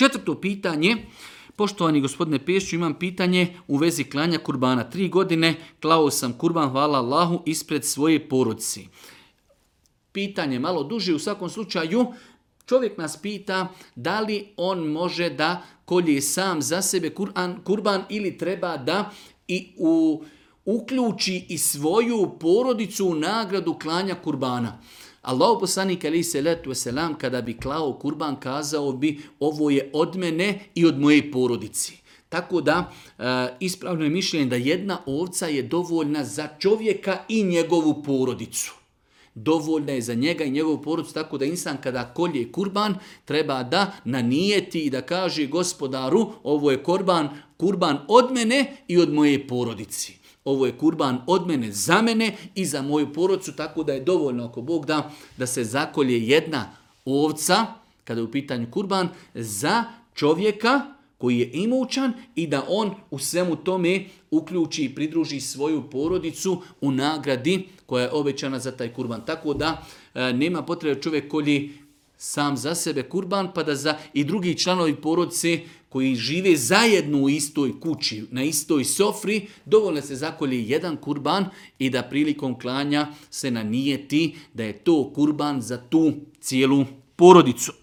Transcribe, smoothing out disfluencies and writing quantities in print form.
4. pitanje. Poštovani gospodine Pešiću, imam pitanje u vezi klanja kurbana. 3 godine klao sam kurban, hvala Allahu, ispred svoje porodice. Pitanje malo duže, u svakom slučaju čovjek nas pita da li on može da kolje sam za sebe kurban ili treba da uključi i svoju porodicu u nagradu klanja kurbana. Allahu poslanik alejhi selatu vesselam kada bi klao kurban kazao bi ovo je od mene i od moje porodice. Tako da ispravno je mišljenje da jedna ovca je dovoljna za čovjeka i njegovu porodicu. Dovoljna je za njega i njegovu porodicu, tako da insan kada kolje kurban treba da nanijeti i da kaže gospodaru ovo je kurban od mene i od moje porodice. Ovo je kurban od mene za mene i za moju porodicu, tako da je dovoljno ako Bog da se zakolje jedna ovca, kada je u pitanju kurban, za čovjeka koji je imućan i da on u svemu tome uključi i pridruži svoju porodicu u nagradi koja je obećana za taj kurban. Tako da nema potrebe čovjek kolji sam za sebe kurban, pa da i drugi članovi porodice koji žive zajedno u istoj kući, na istoj sofri, dovoljno se zakolje jedan kurban i da prilikom klanja se nanijeti da je to kurban za tu cijelu porodicu.